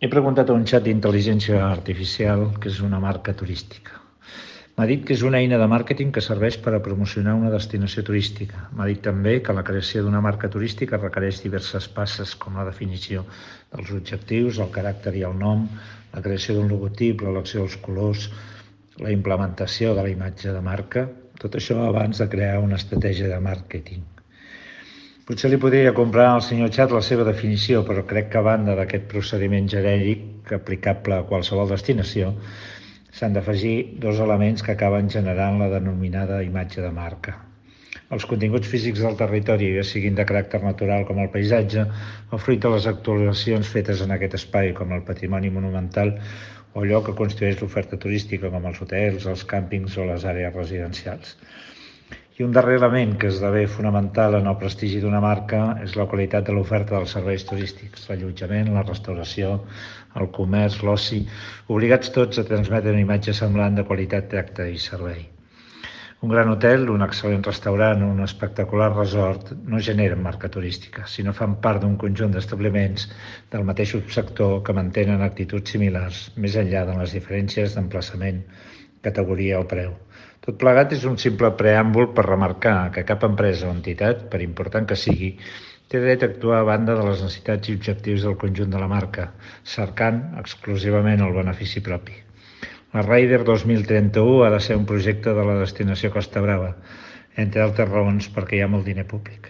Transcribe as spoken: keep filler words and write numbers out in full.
He preguntat a un xat d'intel·ligència artificial què és una marca turística. M'ha dit que és una eina de màrqueting que serveix per a promocionar una destinació turística. M'ha dit també que la creació d'una marca turística requereix diverses passes, com la definició dels objectius, el caràcter i el nom, la creació d'un logotip, l'elecció dels colors, la implementació de la imatge de marca, tot això abans de crear una estratègia de màrqueting. Potser li podria comprar al senyor Xat la seva definició, però crec que a banda d'aquest procediment genèric aplicable a qualsevol destinació, s'han d'afegir dos elements que acaben generant la denominada imatge de marca. Els continguts físics del territori, ja siguin de caràcter natural com el paisatge, o fruit de les actuacions fetes en aquest espai, com el patrimoni monumental, o allò que constitueix l'oferta turística, com els hotels, els càmpings o les àrees residencials. I un darrer element que esdevé fonamental en el prestigi d'una marca és la qualitat de l'oferta dels serveis turístics, l'allotjament, la restauració, el comerç, l'oci, obligats tots a transmetre una imatge semblant de qualitat, tracte i servei. Un gran hotel, un excel·lent restaurant o un espectacular resort no generen marca turística, sinó fan part d'un conjunt d'establiments del mateix subsector que mantenen actituds similars, més enllà de les diferències d'emplaçament, categoria o preu. Tot plegat és un simple preàmbul per remarcar que cap empresa o entitat, per important que sigui, té dret a actuar a banda de les necessitats i objectius del conjunt de la marca, cercant exclusivament el benefici propi. La Raider dos mil trenta-u ha de ser un projecte de la destinació Costa Brava, entre altres raons perquè hi ha molt diner públic.